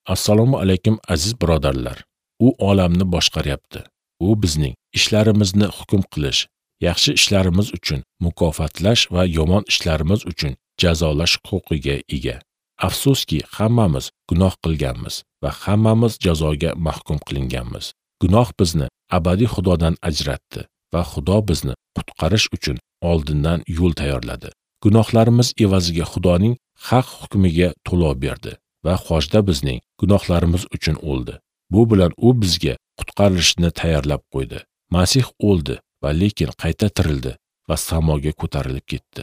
Assalomu alaykum aziz birodarlar. U olamni boshqaryapti. U bizning ishlarimizni hukm qilish, yaxshi ishlarimiz uchun mukofotlash va yomon ishlarimiz uchun jazolash huquqiga ega. Afsuski, hammamiz gunoh qilganmiz va hammamiz jazoga mahkum qilinganmiz. Gunoh bizni abadiy Xudodan ajratdi va Xudo bizni qutqarish uchun oldindan yo'l tayyorladi. Gunohlarimiz evaziga Xudoning haq hukmiga to'lov berdi va xochda bizning gunohlarimiz uchun o'ldi. Bu bilan u bizga qutqarilishni tayyorlab qo'ydi. Masih o'ldi va lekin qayta tirildi va samoga ko'tarilib ketdi.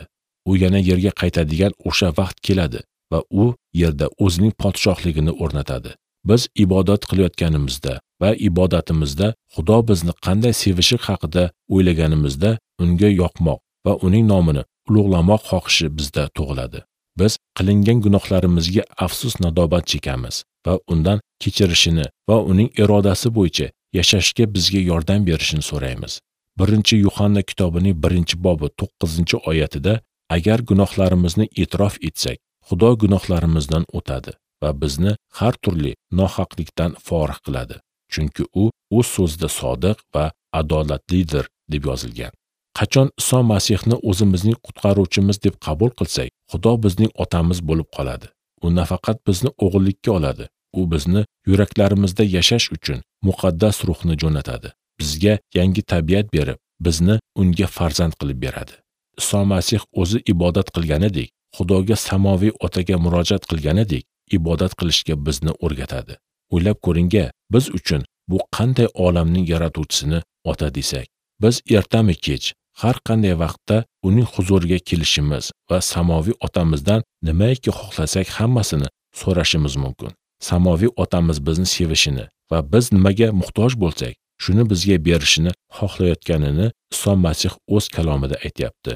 U yana yerga qaytadigan o'sha vaqt keladi va u yerda o'zining podshohligini o'rnatadi. Biz ibodat qilayotganimizda va ibodatimizda Xudo bizni qanday sevishi haqida o'ylaganimizda unga yoqmoq va uning nomini ulug'lamoq xohishi bizda tug'iladi. Biz qilingan gunohlarimizga afsus nadobat chekamiz va undan kechirishini va uning irodasi bo'yicha yashashga bizga yordam berishini so'raymiz. 1-Yuhanna kitobining 1-bobi 9-oyatida agar gunohlarimizni e'tirof etsak, Xudo gunohlarimizdan o'tadi va bizni har turli nohaqlikdan forig' qiladi. Chunki u o'z so'zida sodiq va adolatlidir deb yozilgan. Qachon Iso Masihni o'zimizning qutqaruvchimiz deb qabul qilsak, Xudo bizning otamiz bo'lib qoladi. U nafaqat bizni o'g'illikka oladi, u bizni yuraklarimizda yashash uchun muqaddas ruhni jo'natadi. Bizga yangi tabiat berib, bizni unga farzand qilib beradi. Iso Masih o'zi ibodat qilganidek, Xudoga samoviy otaga murojaat qilganidek, ibodat qilishga bizni o'rgatadi. O'ylab ko'ringga, biz uchun bu qanday olamning yaratuvchisini ota desak. Biz ertami kech, har qanday vaqtda uning huzuriga kelishimiz va samoviy otamizdan nimaiki xohlasak hammasini so'rashimiz mumkin. Samoviy otamiz bizni sevishini va biz nimaga muhtoj bo'lsak, shuni bizga berishini xohlayotganini Iso Masih o'z kalomida aytayapti.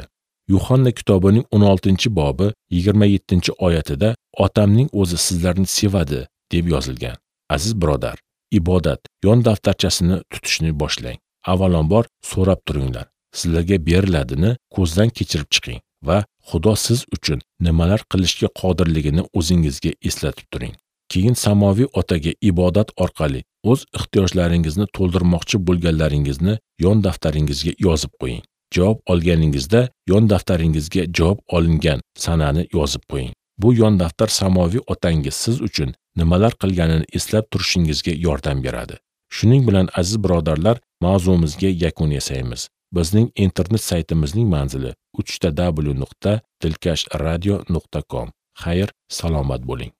Yuhanna kitobining 16-bobi 27-oyatida otamning o'zi sizlarni sevadi deb yozilgan. Aziz birodar, ibodat yon daftarchasini tutishni boshlang. Avvalambor so'rab turinglar. Sizlarga beriladini ko'zdan kechirib chiqing va Xudo siz uchun nimalar qilishga qodirligini o'zingizga eslatib turing. Keyin samoviy otaga ibodat orqali o'z ehtiyojlaringizni to'ldirmoqchi bo'lganlaringizni yon daftaringizga yozib qo'ying. Javob olganingizda yon daftaringizga javob olingan sanani yozib qo'ying. Bu yon daftar samoviy otangiz siz uchun nimalar qilganini eslab turishingizga yordam beradi. Shuning bilan aziz birodarlar, mavzumizga yakun yasaymiz. Bizning internet saytimizning manzili www.dilkashradio.com. Xayr, salomat bo'ling.